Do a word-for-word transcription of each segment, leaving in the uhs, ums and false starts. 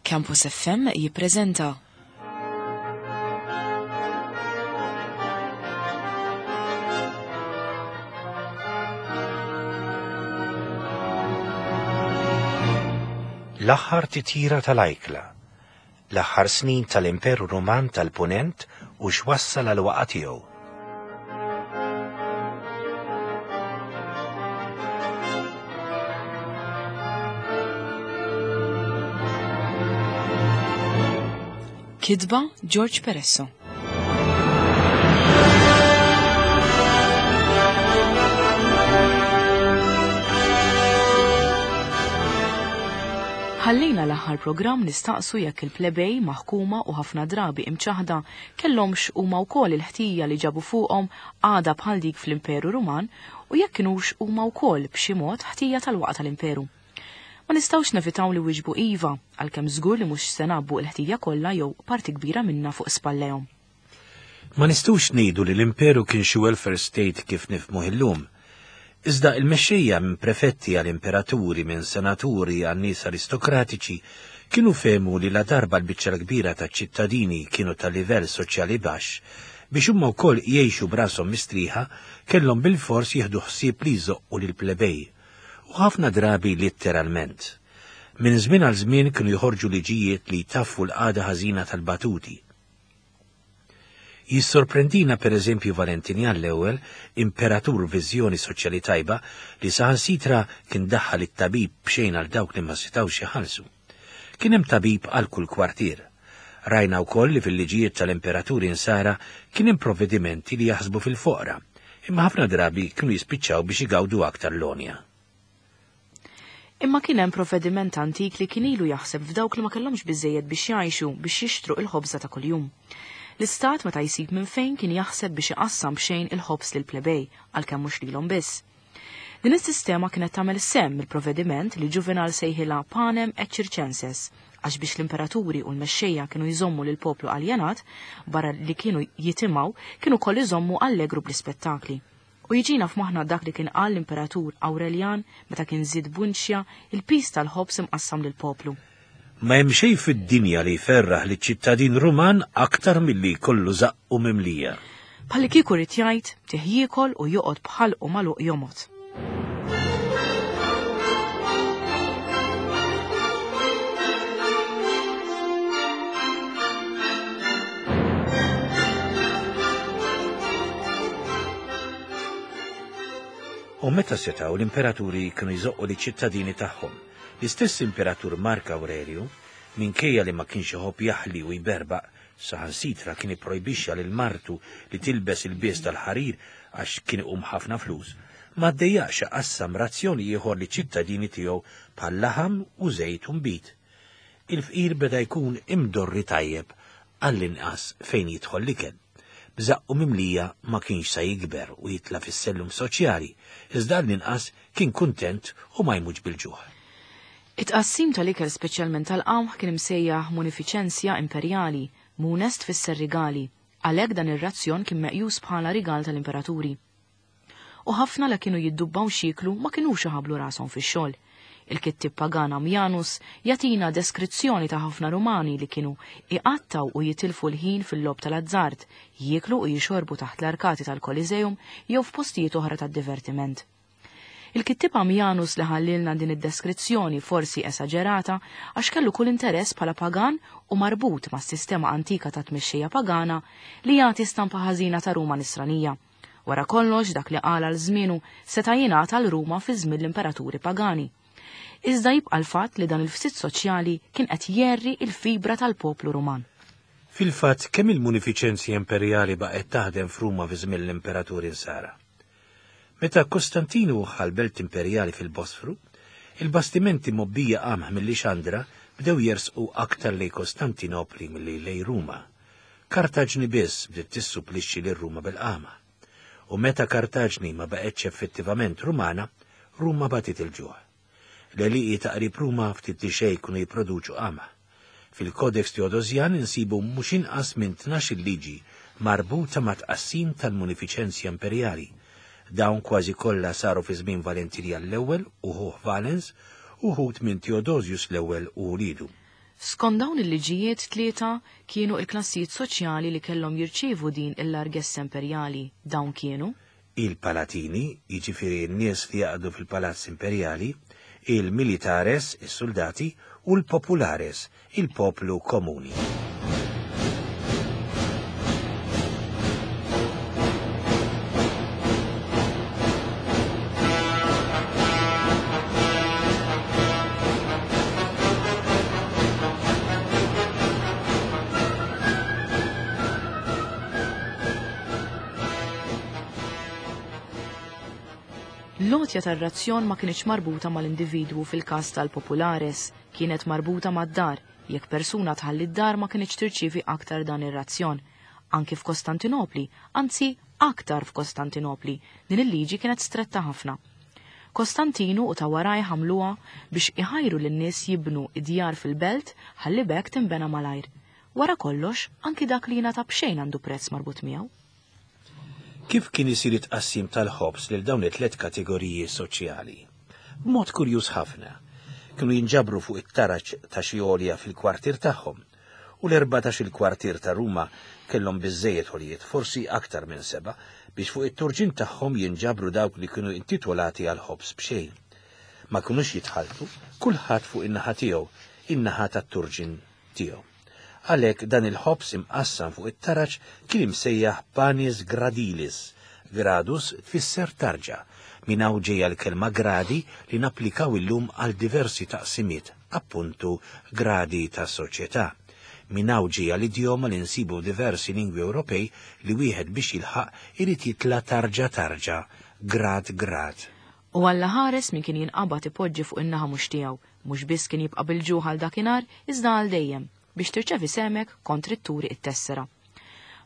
Campus F M jippreżenta L-aħħar titjira tal-ajkla, l-aħħar snin tal-Imperu Ruman tal-Punent u x'wassal għal waqgħa tiegħu. Kitba George Peresso. Ħallejna l-aħħar programm nistaqsu jekk il-plebej maħkuma u ħafna drabi imċaħda kellhomx huma wkoll il-ħtija li ġabu fuqhom għada bħal dik fl-Imperu Ruman u jekk kinux huma wkoll b'xi mod ħtija tal-waqgħa tal-Imperu. Ma nistgħux nevitaw li wieġbu iva, għalkemm żgur li mhux se nabbu l-ħtija kollha jew parti kbira minnha fuq spallejhom. Ma nistgħux ngħidu li l-Imperu kien xi welfare state kif nifhmuh illum. Iżda il-mexxejja minn prefetti għal imperaturi, minn senaturi għal nies aristokratiċi kienu fehmu li la darba l-biċċa l-kbira taċ-ċittadini kienu ta' livell soċjali baxx, biex huma wkoll jgħixu b'rashom mistrieħa kellhom bilfors jieħdu ħsieb li jżoqqu lill-plebej. U ħafna drabi litteralment. Minn żmien għal żmien kienu joħorġu liġijiet li jtaffu l-qagħda ħażina tal-batuti. Jissorprendina per eżempju Valentinian l-ewwel, imperatur viżjoni soċjali tajba, li saħansitra kien daħħal it-tabib b'xejn għal dawk li ma setgħux iħallsu. Kien hemm tabib għal kull kwartier. Rajna wkoll li fil-liġijiet tal-imperaturi insara kien hemm provvedimenti li jaħsbu fil-foqra, imma ħafna drabi kienu jispiċċaw biex igawdu aktar l-onja. Imma kien hemm provvediment antik li kien ilu jaħseb f'dawk li ma kellhomx biżejjed biex jgħixu biex jixtru il-ħobża ta' kuljum. L-istat meta jsib minn fejn kien jaħseb biex iqassam b'xejn il-ħobż lill-plebej, għalkemm mhux lilhom biss. Din is-sistema kienet tagħmel sehem mill-provvediment li Juvenal sejħilha panem et circenses, għax biex l-imperaturi u l-mexxejja kienu jżommu lil poplu aljenat, barra li kienu jitimgħu, kienu koll iżommu allegru bl-ispettakli. U jiġina f'moħħna dak li kien qal l-imperatur Aurelian meta kien żied bunċja il-pis tal-ħobż imqassam lill-poplu. Ma hemm xejn fid-dinja li jferraħ liċ-ċittadin Ruman aktar milli jkollu żaqqu mimlija. Bħalli kieku rid jgħid tih jiekol u joqgħod bħalqu magħluq jomgħod. U meta setgħu l-imperaturi kienu jżoqqu liċ-ċittadini tagħhom. L-istess imperatur Mark Aurelio, minkejja li ma kienx iħobb jaħli u jberbaq, saħansitra kien ipprojbixxa lil martu li tilbes il-bies tal-ħarir għax kien iqum ħafna flus, ma ddejjaqx iqassam razzjoni ieħor li ċittadini tiegħu bħal laħam u żejt u nbid. Il-fqir beda jkun imdorri tajjeb għall-inqas fejn jidħol l-ikel. B'żaqqu mimlija ma kienx sa jikber u jitla' fis-sellum soċjali, iżda għall-inqas kien kuntent u ma jmutx bil-ġuħ. It-tqassim tal-ikel speċjalment tal-qamħ kien imsejjaħ munifiċenzja imperjali, munest tfisser rigali, għalhekk dan ir-razzjon kien meqjus bħala rigal tal-imperaturi. U ħafna la kienu jiddubbaw xiklu ma kinux iħablu rashom fix-xogħol. Il-kittib pagan Ammianus jagħtina deskrizzjoni ta' ħafna Rumani li kienu iqattaw u jitilfu l-ħin fil-logħob tal-azzard, jieklu u jixorbu taħt l-arkati tal-Koliseum jew f'postijiet oħra tad-divertiment. Il-kittib Ammianus li ħallilna din id-deskrizzjoni forsi esaġerata għax kellu kull interess bħala pagan u marbut mas-sistema antika ta' tmexxija pagana li jagħti stampa ħażina ta' Ruma nisranija. Wara kollox dak li qal għal żmienu seta' jingħata għal Ruma fi żmien l-imperaturi pagani. Iżda jibqa' l-fatt li dan il-fsit soċjali kien qed jerri il-fibra tal-poplu Ruman. Fil-fatt kemm il-munifiċenzja imperjali baqgħet taħdem f'Ruma fi żmien l-imperaturi Nsara. Meta Kostantinu ħal belt imperjali fil-Bosfru, il-bastimenti mobbija qamħ mill-Lixandra bdew jersqu aktar lej Kostantinopli milli lej Ruma. Kartaġni biss bdiet tissupplixxi lil Ruma bil-qama. U meta Kartaġni ma baqgħetx effettivament Rumana, Ruma batit il-ġuħ. L-għelieqi ta' qrib Ruma ftit li xejn kienu jipproduċu qamħ. Fil-Kodex Teodosian insibu mhux inqas minn tnax-il liġi marbuta ma' tqassim tal-munifiċenzja imperjali. Dawn kważi kollha saru fi żmien Valentinian l-ewwel u ħuh Valens u ħut minn Theodosius l-ewwel u ulidu. Skont dawn il-liġijiet tlieta kienu il-klassijiet soċjali li kellhom jirċievu din il-largessa imperjali. Dawn kienu il-palatini, jiġifieri n-nies li jaqdu fil-palazz imperjali, il-militares, is-soldati, u l-populares, il-poplu komuni. L-għotja tar-razzjon ma kienx marbuta mal-individwu fil-każ tal-populares, kienet marbuta mad-dar. Jekk persuna tħalli d-dar ma kienx tirċievi aktar dan ir-razzjon. Anki f'Kostantinopli, anzi aktar f'Kostantinopli, din il-liġi kienet stretta ħafna. Kostantinu u ta' waraj ħamluha biex iħajru lin-nies jibnu id-djar fil-belt ħalli b'hekk tinbena malajr. Wara kollox, anki dak li jingħata b'xejn għandu prezz marbut miegħu. Kif kien isir it-tqassim tal-ħobż lil dawn it-tliet kategoriji soċjali? B'mod kurjuż ħafna. Kienu jinġabru fuq it-taraġ ta' xi għolja fil-kwartier tagħhom, u l-erbatax il-kwartier ta' Ruma kellhom biżżejjed għoljiet, forsi aktar minn seba', biex fuq it-turġin tagħhom jinġabru dawk li kienu intitolati għal ħobż b'xejn. Ma kinux jitħalltu, kulħadd fuq in-naħa tiegħu, in-naħa tat-turġin tiegħu. Għalhekk dan il-ħobż imqassam fuq it-taraġ kien imsejjaħ panis gradilis. Gradus tfisser tarġa. Minn hawn ġejja l-kelma gradi li napplikaw illum għal diversi taqsimiet, appuntu gradi ta' soċjetà. Minn hawn ġejja l-idjoma li nsibu diversi lingwi Ewropej li wieħed biex jilħaq irid jitla' tarġa tarġa, grad grad. U Alla ħares min kien jinqabad ipoġġi fuq in-naħa mhux tiegħu, mhux biss kien jibqa' bil-ġuħ għal dakinhar, iżda għal dejjem biex tirċevi semek kontri turi it-tessera.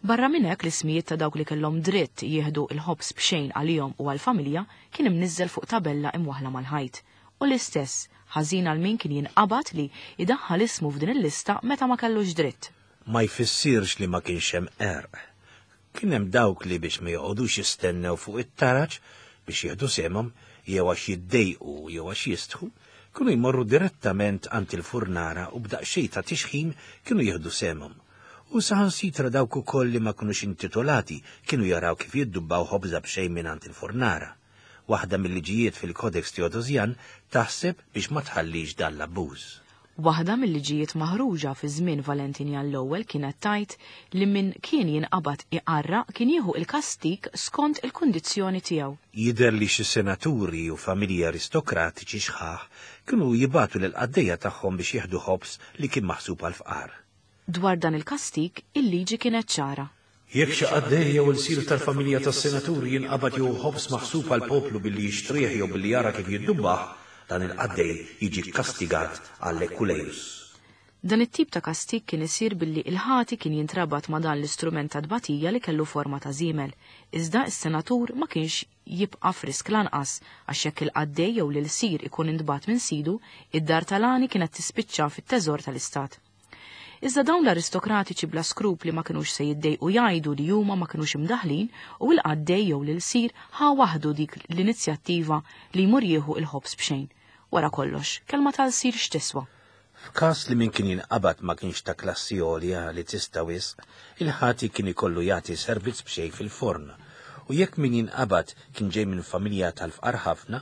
Barra minn hekk l-ismijiet ta' dawk li kellhom dritt jieħdu il-ħobż b'xejn għalihom u għall-familja kien imniżżel fuq tabella imwaħla mal-ħajt. U l-istess ħażin għal min kien jinqabad li idaħħal ismu f'din il-lista meta ma kellux dritt. Ma jfissirx li ma kienx hemm qerq. Kien hemm dawk li biex ma joqogħdux jistennew fuq it-taraġ biex jieħdu semhom jew għax jiddejqu jew għax jistħu, kienu jmorru direttament għand il-furnara u b'daqsxejn ta' tixħim kienu jieħdu semhom. U saħansitra dawk ukoll li ma kinux intitolati kienu jaraw kif jiddubbaw ħobża b'xejn minn għand il-furnara. Waħda mill-liġijiet fil-Codex Theodosian taħseb biex ma tħallix dan l-abbuż. Waħda mill-liġijiet maħruġa fi żmien Valentinjan l-ewwel kienet tgħid li min kien jinqabad iqarraq kien jieħu il-kastik skont il-kundizzjoni tiegħu. Jidher li xi senaturi u familji aristokratiċi xħaħ kienu jibatu lil qaddejja tagħhom biex jieħdu ħobż li kien maħsub għal fqar. Dwar dan il-kastik, il-liġi kienet ċara. Jekk xi qaddej jew il-sir tal-familja tas-senaturi jinqabad jew ħobż maħsub għal poplu billi jixtrih jew billi jara kif jiddubbaħ, dan il-qaddej jiġi kastigat għall-ekulejus. Dan it-tip ta' kastik kien isir billi il-ħati kien jintrabat ma' dan l-istrument ta' tbatija li kellu forma ta' żiemel. Iżda s-senatur ma kienx jibqa' frisk lanqas, għax jekk il-qaddej jew l-sir ikun intbat minn sidu, id-dar tal-għani kienet tispiċċa fit-teżor tal-istat. Iżda dawn l-aristokratiċi bla skrupli ma kinux se jiddejqu jgħidu li huma ma kinux imdaħlin u l-qaddej jew l-sir ħa waħdu dik l-inizjattiva li jmur jieħu il-ħobż b'xejn. Wara kollox, kelma tal-sir x'tiswa. F'każ li min kien jinqabad ma kienx ta' klassi għolja li tista' wisq, il-ħati kien ikollu jagħti servizz b'xejn fil-forn. U jekk min jinqabad kien ġej minn familja tal-fqar ħafna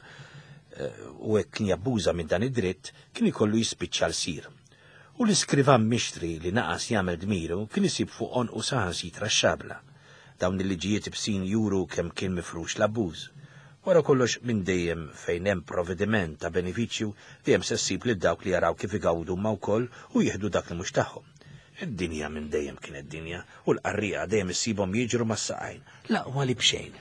u hekk kien jabbuża minn dan id-dritt, kien ikollu jispiċċa l-sir. U l-iskrivan mixtri li naqas jagħmel dmiru kien isib fuq għonqu saħansitra x-xabla. Dawn il-liġijiet ibsin juru kemm kien mifrux l-abbuż. Wara kollox minn dejjem fejn hemm provvediment ta' benefiċċju dejjem se ssib lil dawk li jaraw kif igawdu ma wkoll u jieħdu dak li mhux tagħhom. Id-dinja minn dejjem kienet dinja u l-qarrieqa dejjem issibhom jiġru mas-saqajn, l-aqwa li b'xejn.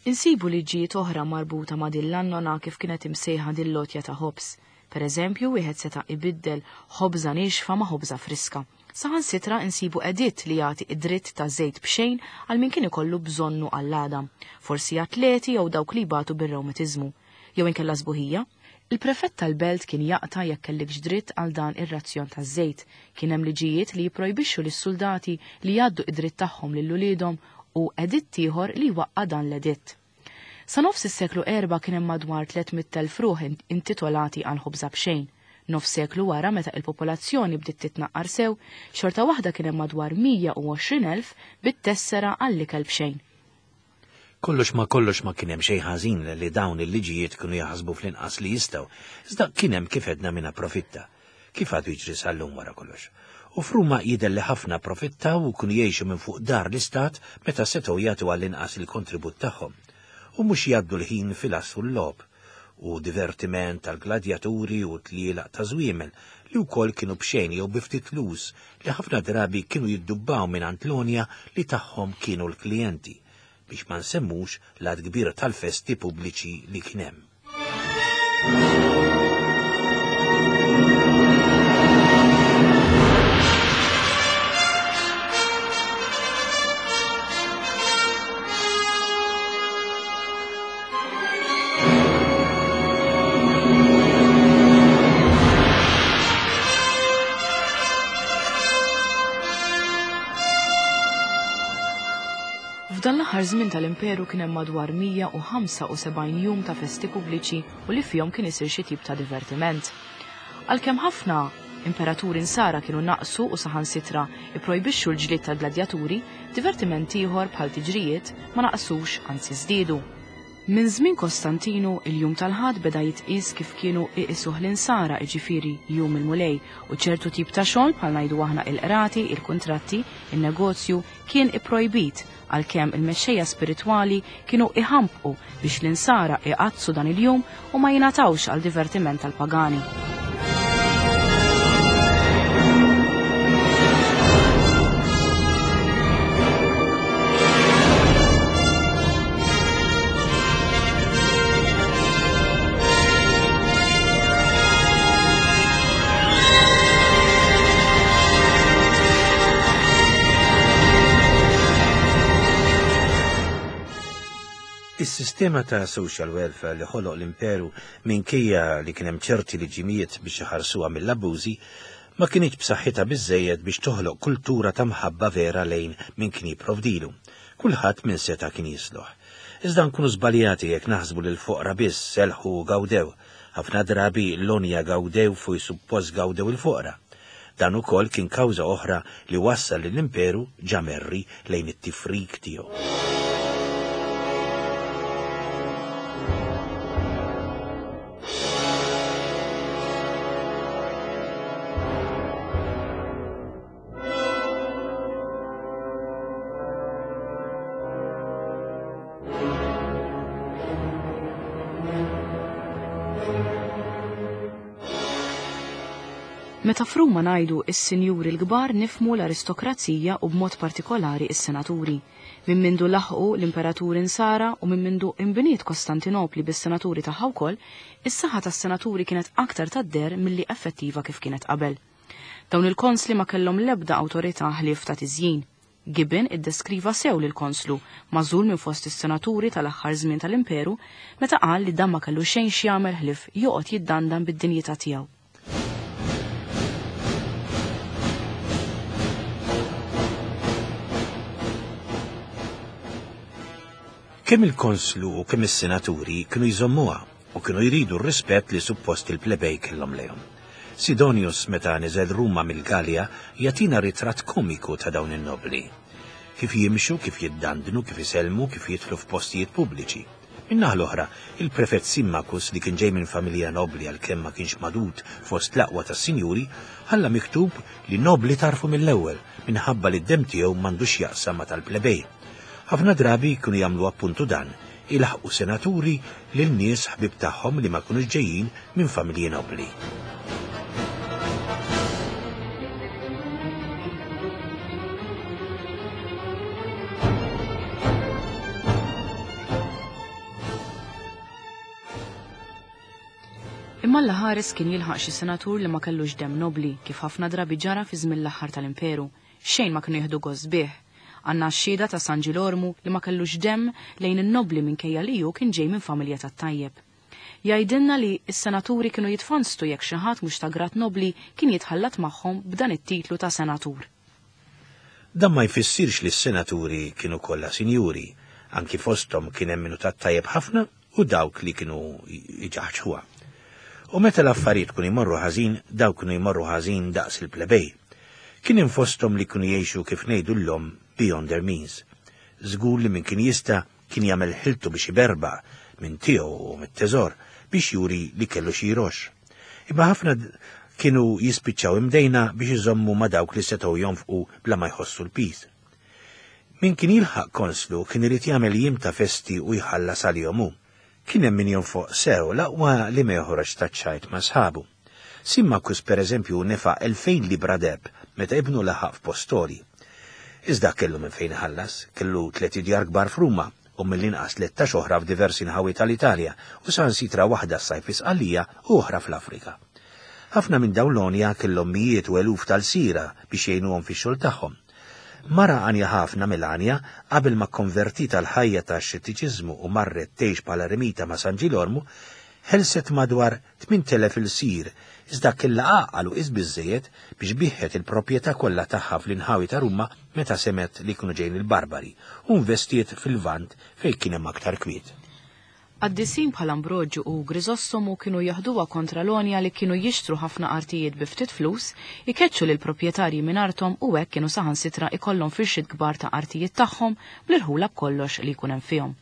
Insibu liġijiet oħra marbuta ma' din l-annona kif kienet imsejħa din l-lotja ta' ħobż. Per eżempju, wieħed seta' ibiddel ħobża niexfa ma' ħobża friska. Saħansitra insibu editt li jagħti id-dritt ta' żejt b'xejn għal min kien ikollu bżonnu għall-għadam, forsi atleti jew dawk li jbatu bir-rewmatiżmu, jew inkella sbuħija. Il-prefett tal-belt kien jaqta' jekk kellikx dritt għal dan ir-razzjon taż-żejt. Kien hemm liġijiet li jipprojbixxu lis-soldati li jgħaddu id-dritt tagħhom lil uliedhom u editt ieħor li waqqa' dan l-editt. Sa nofs is-seklu erba' kien hemm madwar tliet mitt elf ruħ intitolati għal ħobża b'xejn. Nofs seklu wara meta il-popolazzjoni bdiet titnaqqar sew, xorta waħda kien hemm madwar mija u għoxrin elf bit-tessera għall-ikel b'xejn. Kollox ma kollox ma kien hemm xejn ħażin li dawn il-liġijiet kienu jaħsbu fl-inqas li jistgħu, iżda kien hemm kif edna min approfitta, kif għadu jiġri sal-lum wara kollox. U f'Ruma jidher li ħafna approfittaw u kienu jgħixu minn fuq dar l-istat meta setgħu jagħtu għall-inqas il-kontribut tagħhom, u mhux jgħaddu l-ħin fil-għas u l-logħob u divertiment tal-gladjaturi u tlielaq ta' żwiemel li wkoll kienu b'xejn jew bi ftit flus li ħafna drabi kienu jiddubbaw minn Antlonia li tagħhom kienu l-klijenti, biex ma nsemmux l-għadd kbir tal-festi pubbliċi li kien hemm. F'dan l-aħħar żmien tal-Imperu kien hemm madwar mija u ħamsa u sebgħin jum ta' festi pubbliċi u li fihom kien isir xi tip ta' divertiment. Għalkemm ħafna imperaturi nsara kienu naqsu u saħansitra ipprojbixxu l-ġlied tal-gladjaturi, divertiment ieħor bħal tiġrijiet ma naqsux, anzi żdiedu. Minn żmien Kostantinu, il-jum tal-Ħadd beda jitqies kif kienu iqisuh l-insara, jiġifieri jum il-Mulej, u ċertu tip ta' xogħol bħal ngħidu aħna il-qrati, il-kuntratti, in-negozju kien ipprojbit, għalkemm il-mexxejja spiritwali kienu iħampqu biex l-insara iqaddsu dan il-jum u ma jingħatawx għal divertiment tal-pagani. Is-sistema ta' social welfare li ħoloq l-imperu minkejja li kien hemm ċerti liġimijiet biex iħarsuha mill-abbużi ma kinitx b'saħħitha biżżejjed biex toħloq kultura ta' mħabba vera lejn min kien jipprovdilu. Kulħadd minn seta' kien jisloħ. Iżda nkunu żbaljati jekk naħsbu li l-foqra biss selħu u gawdew. Ħafna drabi l-onja gawdew fuq suppost gawdew il-foqra. Dan ukoll kien kawża oħra li wassal lill-imperu ġamerri lejn it-tifrik tiegħu. Meta f'Ruma ngħidu is-sinjuri l-kbar nifmu l-aristokrazija u b'mod partikolari is-senaturi. Minn mindu laħqu l-imperaturi nsara u minn mindu imbniet Kostantinopli bis-senaturi tagħha wkoll, is-saħħa tas-senaturi kienet aktar tad-der milli effettiva kif kienet qabel. Dawn il-konsli ma kellhom l-ebda awtorità ħlief ta' tiżjin. Gibbon iddeskriva sew lil konslu magħżul minn fost is-senaturi tal-aħħar żmien tal-imperu meta qal li dan ma kellu xejn x'jagħmel ħlief joqgħod jiddandan bid-dinjità tiegħu. Kemm il-konslu u kemm is-senaturi kienu jżommuha u kienu jridu r-rispett li suppost il-plebej kellhom lejhom. Sidonius meta niżel Ruma mill-Galja jagħtina ritratt komiku ta' dawn in-nobli. Kif jimxu, kif jiddandnu, kif isellmu, kif jidħlu f'postijiet pubbliċi. Min-naħa l-oħra, il-prefett Simmachus li kien ġej minn familja nobli għalkemm ma kienx madud fost l-aqwa tas-sinjuri, ħalla miktub li nobli tarfu mill-ewwel minħabba li d-dem tiegħu m'għandux jaqsam ma' tal-plebej. Ħafna drabi kienu jagħmlu appuntu dan, ilaħqu senaturi lil nies ħbib tagħhom li ma kinux ġejjin minn familji nobli. Imma l-ħares kien jilħaq xi senatur li ma kellux dem nobli kif ħafna drabi ġara fi żmien l-aħħar tal-imperu, xejn ma kienu jieħdu gost bih. Għanna x-xhieda ta' San Ġilormu li ma kellux dem lejn in-nobli minkejja li hu kien ġej minn familja tat-tajjeb. Jgħidilna li s-senaturi kienu jitfanstu jekk xi ħadd mhux ta' grat nobli kien jitħallat magħhom b'dan it-titlu ta' senatur. Dan ma jfissirx li s-senaturi kienu kollha sinjuri, anki fosthom kien hemm minnu tat-tajjeb ħafna u dawk li kienu jġaħġħuha. U meta l-affarijiet kienu jmorru ħażin, dawk kienu jmorru ħażin daqs il-plebej. Kien hemm fosthom li kienu jgħixu kif ngħidu llum beyond their means. Żgur li min kien jista' kien jagħmel ħiltu biex iberbaq minn tiegħu u mit-teżor biex juri li kellu xi jroxx. Imma ħafna kienu jispiċċaw imdejna biex iżommu ma' dawk li setgħu jonfqu bla ma jħossu l-piż. Min kien jilħaq konslu kien irid jagħmel jiem ta' festi u jħallas għalihom hu. Kien hemm min jonfoq sew l-aqwa li ma joħroġ taċ-ċajt ma' sħabu. Simmakus pereżempju nefaq elfejn libra deheb meta ibnu laħaq f'Postori. Iżda kellu minn fejn iħallas, kellu tliet idjar kbar f'Ruma u mill-inqas tlettax oħra f'diversi nħawi tal-Italja u saħansitra waħda s-sajf fi Sqallija u oħra fl-Afrika. Ħafna minn dawn l-għonja kellhom mijiet u eluf tal-sira biex jgħinuhom fix-xogħol tagħhom. Mara għanja ħafna Melania qabel ma konvertit għal ħajja ta' xettiċiżmu u marret tgħix bħala eremita ma' San Ġilormu, ħelset madwar tmint elef il-sir, iżda kellha għaqal u qis biżżejjed biex biħħet il-proprjetà kollha tagħha fl-inħawi ta' Ruma meta semet li kienu ġejjin il-Barbari u investiet fil-Lvant fejn kien hemm aktar kwiet. Qaddisin bħal Ambroġu u Grisossomu kienu jaħduha kontra l-għonja li kienu jixtru ħafna artijiet bi ftit flus, ikeċċu lil proprjetarji minn arthom u hekk kienu saħansitra ikollhom firxiet kbar ta' artijiet tagħhom bl-irħula b'kollox li jkun hemm fihom.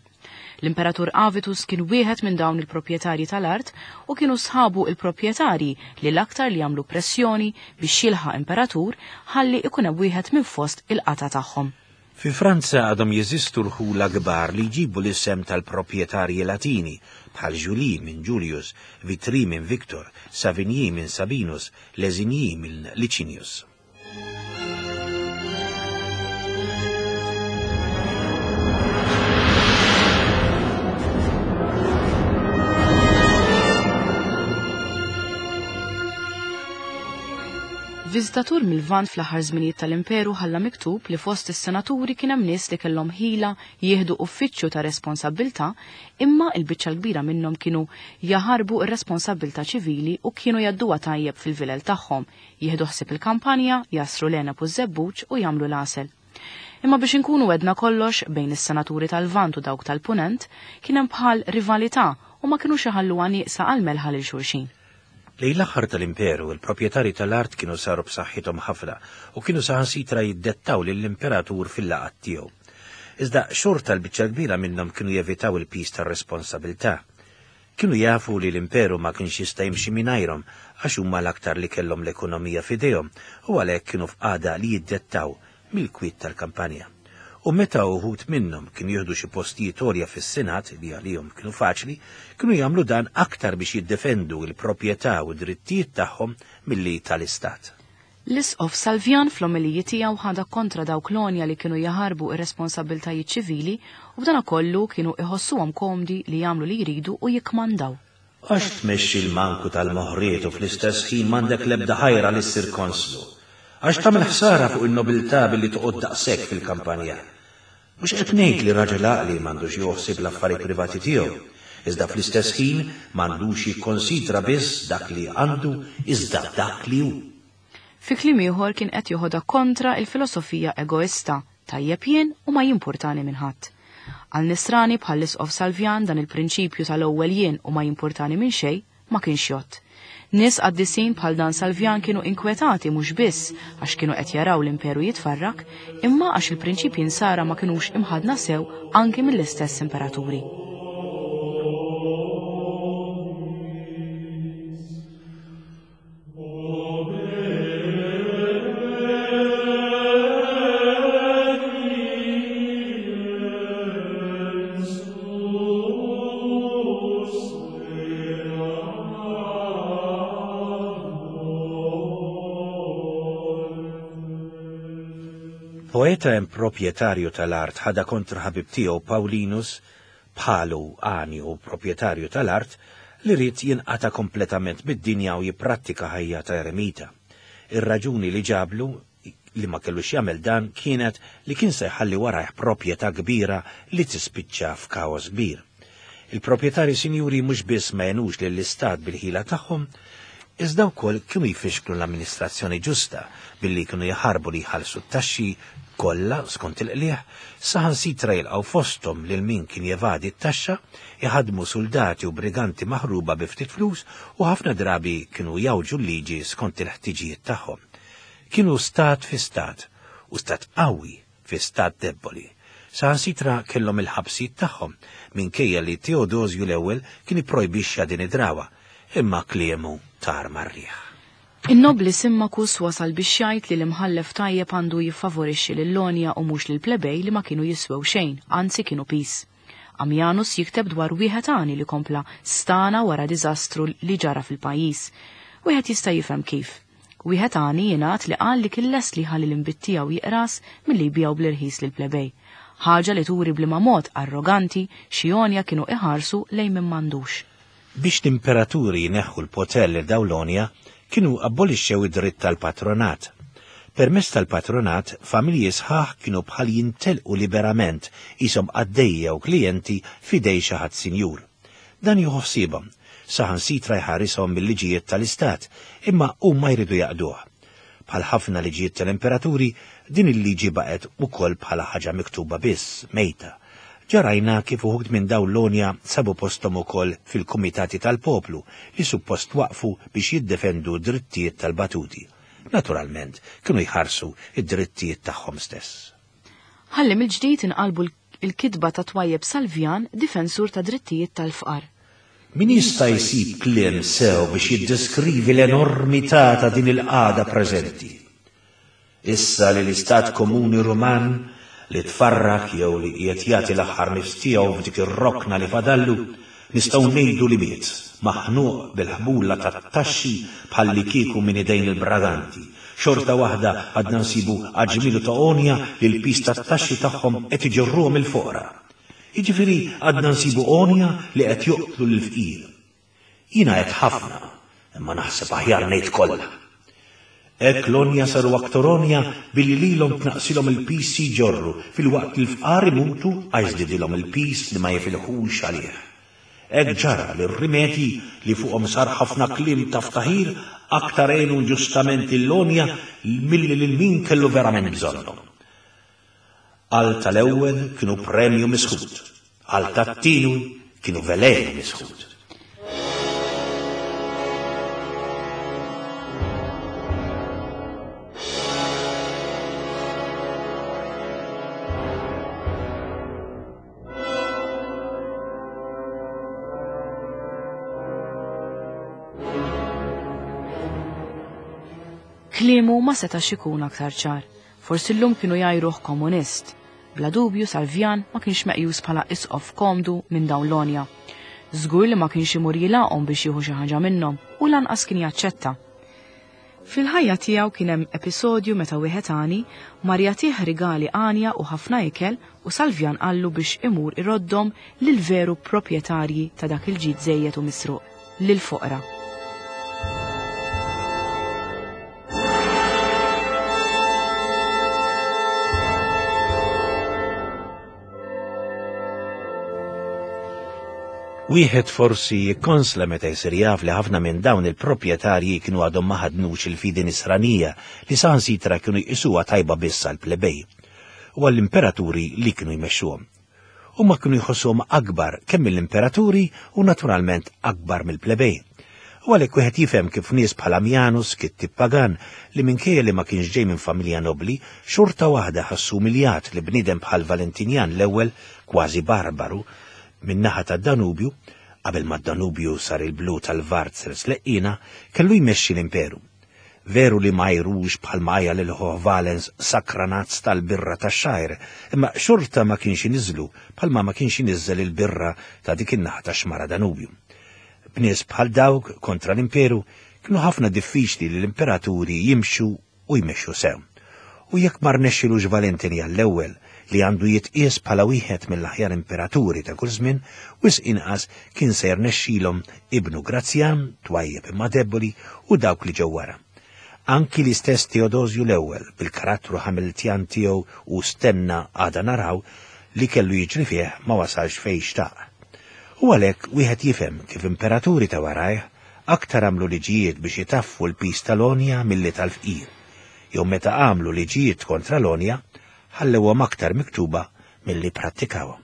L-Imperatur Avitus kien wieħed minn dawn il-proprjetarji tal-art u kienu sħabu il-proprjetarji li l-aktar li jagħmlu pressjoni biex jilħaq imperatur ħalli ikun hemm wieħed minn fost il-qata tagħhom. Fi Franza għadhom jeżistu rħula kbar li jġibu l-isem tal-proprjetarji Latini bħal Julie minn Julius, Vitry minn Victor, Savigny minn Sabinus, Lesigny minn Licinius. Viżitatur mill-Lvant fl-aħħar żminijiet tal-Imperu ħalla miktub li fost is-senaturi kien hemm nies li kellhom ħila jieħdu uffiċċju ta' responsabbiltà, imma l-biċċa l-kbira minnhom kienu jaħarbu r-responsabbiltà ċivili u kienu jgħadduha tajjeb fil-vilel tagħhom, jieħdu ħsieb il-kampanja, jasru l-għeneb u ż-żebbuġ u jagħmlu l-għasel. Imma biex inkunu wedna kollox bejn is-senaturi tal-Lvant u dawk tal-Punent kien hemm bħal rivalità u ma kinux iħalluha nieqsa għal melħa lil xulxin. Lejn l-aħħar tal-Imperu, il-proprjetarji tal-art kienu saru b'saħħithom ħafna u kienu saħansitra jiddettaw lill-imperatur fil-laqgħat tiegħu. Iżda xorta l-biċċa kbira minnhom kienu jevitaw il-piż tar-responsabilità. Kienu jafu li l-Imperu ma kienx jista' jimxi mingħajrhom għax huma l-aktar li kellhom l-ekonomija f'idejhom u għalhekk kienu f'qagħda li jiddettaw mill-kwiet tal-kampanja. U meta uħud minnhom kienu jieħdu xi postijiet għolja fis-Senat li għalihom kienu faċli, kienu jagħmlu dan aktar biex jiddefendu l-proprjetà u d-drittijiet tagħhom milli tal-Istat. L-Isqof Salvjan fl-omeliji tiegħu ħadha kontra dawk l-għonja li kienu jaħarbu ir-responsabbiltajiet ċivili u b'dana kollu kienu iħossuhom komdi li jagħmlu li jridu u jikkmandaw. Għax tmexxi l-manku tal-moħriet u fl-istess ħin m'għandek l-ebda ħajra li ssir konslu. Għax tagħmel ħsara fuq in-nobiltà billi toqgħod daqshekk fil-kampanja. Mhux qed ngħid li raġel għaqli m'għandux joħsib l-affarijiet privati tiegħu, iżda fl-istess ħin m'għandux jikkonsidra biss dak li għandu iżda dak li hu. Fi kliem ieħor kien qed joħodha kontra il-filosofija egoista, tajjeb jien u ma jimpurtani minn ħadd. Għal nisrani bħal l-Isqof Salvjan dan il-prinċipju tal-ewwel jien u ma jimpurtani minn xejn ma kienx jgħodd. Nies qaddisin bħal dan Salvjan kienu inkwetati mhux biss għax kienu qed jaraw l-imperu jitfarrak, imma għax il-prinċipji nsara ma kinux imħadna sew anki mill-istess imperaturi. Poeta hemm proprjetarju tal-art ħada kontra ħabib tiegħu Paulinus bħalu għani u proprjetarju tal-art li ried jinqata' kompletament mid-dinja u jipprattika ħajja ta' eremita. Ir-raġuni li ġablu li ma kellux jagħmel dan kienet li kien se jħalli warajh proprjetà kbira li tispiċċa f'kaos kbir. Il-proprjetarji sinjuri mhux biss ma jenux lill-istat bil-ħila tagħhom, iżda wkoll kienu jfixklu l-amministrazzjoni ġusta billi kienu jaħarbu li jħallsu t-taxxi kollha skont il-qliegħ, saħansitra jilqgħu fosthom lil min kien jevadi t-taxxa, iħaddmu suldati u briganti maħruba bi ftit flus u ħafna drabi kienu jawġu l-liġi skont il-ħtiġijiet tagħhom. Kienu stat fi stat u stat qawwi fi stat debboli. Saħansitra kellhom il-ħabsijiet tagħhom minkejja li Teodosju l-ewwel kien ipprojbixxa din id-drawa, imma kliemu tar mar-riħ. In-nobli Simmakus wasal biex jgħid li l-imħallef tajjeb għandu jiffavorixxi lil-Lonja u mhux lill-plebej li ma kienu jiswew xejn, anzi kienu pis. Amjanus jikteb dwar wieħed għani li kompla stana wara diżastru li ġara fil-pajjiż. Wieħed jista' jifhem kif. Wieħed għani jingħad li qal li kien lest li ħalli l-inbid tiegħu jiqras milli jbiegħu bl-irħis lill-plebej. Ħaġa li turi bliema mod arroganti xi għonja kienu iħarsu lejn min m'għandux. Biex l-imperaturi jneħħu l-poter lil dawn l-għonja, kienu abolixxew id-dritt tal-patronat. Permezz tal-patronat, familji sħaħ kienu bħal jintelqu liberament qishom qaddejja u klijenti f'idej xi ħadd sinjur. Dan jieħu ħsiebhom, saħansitra jħarishom mill-liġijiet tal-istat, imma huma jridu jaqduh. Bħal ħafna liġijiet tal-imperaturi, din il-liġi baqgħet ukoll bħala ħaġa miktuba biss, mejta. Ġarajna kif uħud minn dawn l-għonja sabu posthom ukoll fil-kumitati tal-poplu li suppost waqfu biex jiddefendu drittijiet tal-batuti. Naturalment, kienu jħarsu id-drittijiet tagħhom stess. Ħalli mill-ġdid inqalbu l-kitba ta' twajjeb Salvjan, difensur ta' drittijiet tal-fqar. Min jista' jsib kliem sew biex jiddeskrivi l-enormità ta' din il-qagħda preżenti? Issa li l-Istat Komuni Ruman li tfarrak jew li qiegħed jagħti l-aħħar nifs tiegħu f'dik ir-rokna li fadallu, nistgħu ngħidu li miet, maħnuq bil-ħbula tat-taxxi bħalli kieku minn idejn il-braganti. Xorta waħda għadna nsibu aġmilu ta' għonja li l-pis tat-taxxi tagħhom qed iġorruhom il-foqra. Jiġifieri għadna nsibu għonja li qed joqtlu lill-fqir. Jiena qed ħafna, imma naħseb aħjar ngħid kollha. Hekk l-għonja saru aktar għonja billi lilhom tnaqsilhom il-pis jġorru filwaqt li l-fqar imutu għax żdidilhom il-pis li ma jifilħux għalih. Hekk ġara li r-rimedji li fuqhom sar ħafna kliem ta' ftaħir aktar għenu ġustament l-għonja milli lil min kellu verament bżonnhom. Għal tal-ewwel kienu premju misħut, għal tat-tieni kienu velenu misħut. Kliemu ma setax ikun aktar ċar. Forsi llum kienu jgħajruh komunist. Bla dubju Salvjan ma kienx meqjus bħala isqof komdu minn dawn l-għonja. Żgur li ma kienx imur jilaqhom biex jieħu xi ħaġa minnhom u lanqas kien jaċċetta. Fil-ħajja tiegħu kien hemm episodju meta wieħed għani mar jagħtih rigali għanja u ħafna ikel u Salvjan qallu biex imur iroddhom lil veru proprjetarji ta' dak il-ġid żejjed u misruq, lil foqra. Wieħed forsi jikkonsla meta jsir jaf li ħafna minn dawn il-proprjetarji kienu għadhom ma ħadnux il-fidi nisranija li saħansitra kienu jqisuha tajba biss għall-plebej u għall-imperaturi li kienu jmexxuhom. Huma kienu jħossuhom akbar kemm mill-imperaturi u naturalment akbar mill-plebej. U għalhekk wieħed jifhem kif nies bħal Amjanus, kittib pagan, li minkejja li ma kienx ġej minn familja nobli, xorta waħda ħassu umiljat li bniedem bħal Valentinjan l-ewwel, kważi barbaru, min-naħa tad-Danubju, qabel ma d-Danubju sar il-blu tal-Varzer sleqqina, kellu jmexxi l-imperu. Veru li ma jrux bħal ma lil Valens sakranazz tal-birra tax-xajr, imma xorta ma kienx iniżlu bħalma ma kienx iniżżel il-birra ta' dik in-naħa tax-xmara Danubju. B'nies bħal dawk kontra l-imperu kienu ħafna diffiċli li l-imperaturi jimxu u jmexxu sew. U jekk ma rnexxilux Valentinjan l-ewwel li għandu jitqies bħala wieħed mill-aħjar imperaturi ta' kull żmien, wisq inqas kien se jirnexxilhom ibnu Grazzjan, twajjeb imma debboli, u dawk li ġew wara. Anki l-istess Teodosju l-ewwel bil-karattru Hamiltjan tiegħu u stenna għada naraw li kellu jiġri fih ma wasalx fejn xtaq. U għalhekk wieħed jifhem kif imperaturi ta' warajh aktar għamlu liġijiet biex jitaffu l-pis tal-għonja milli tal-fqir, jew meta għamlu liġijiet kontra l-għonja ħallewhom aktar miktuba milli prattikawhom.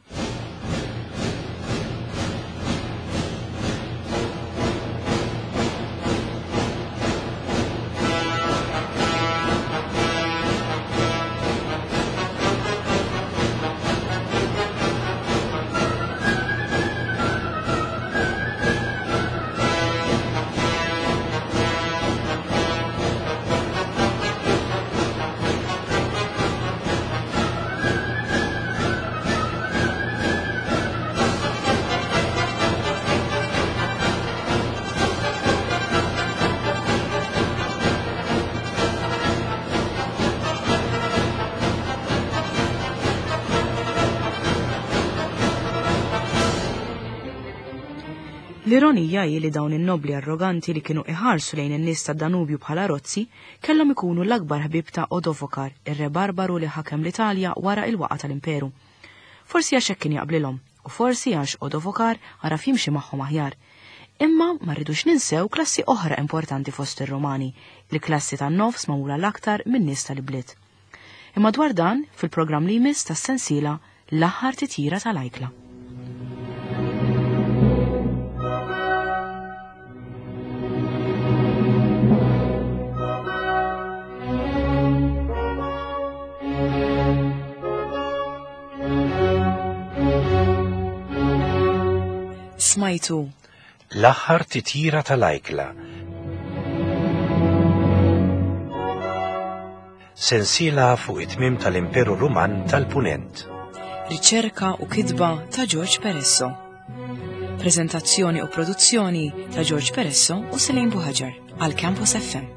L-ironija hi li dawn in-nobli arroganti li kienu iħarsu lejn in-nies tad-Danubju bħala rozzi kellhom ikunu l-akbar ħbieb ta' Odovokar, ir-re barbaru li ħakem l-Italja wara il-waqa tal-Imperu. Forsi għax hekk kien jaqblilhom, u forsi għax Odovokar għaraf jimxi magħhom aħjar. Imma ma rridux ninsew klassi oħra importanti fost ir-Romani, il-klassi tan-nofs magħmula l-aktar min-nies tal-ibliet. Imma dwar dan fil-programm li jmiss tas-sensiela l-aħħar titjira tal-ajkla. Smajtu L-aħħar titjira tal-ajkla. Sensiela fuq it-tmiem tal-Imperu Ruman tal-Punent. Riċerka u kitba ta' George Peresso. Prezentazzjoni u produzzjoni ta' George Peresso u Selene Buhaġar għal Campus F M.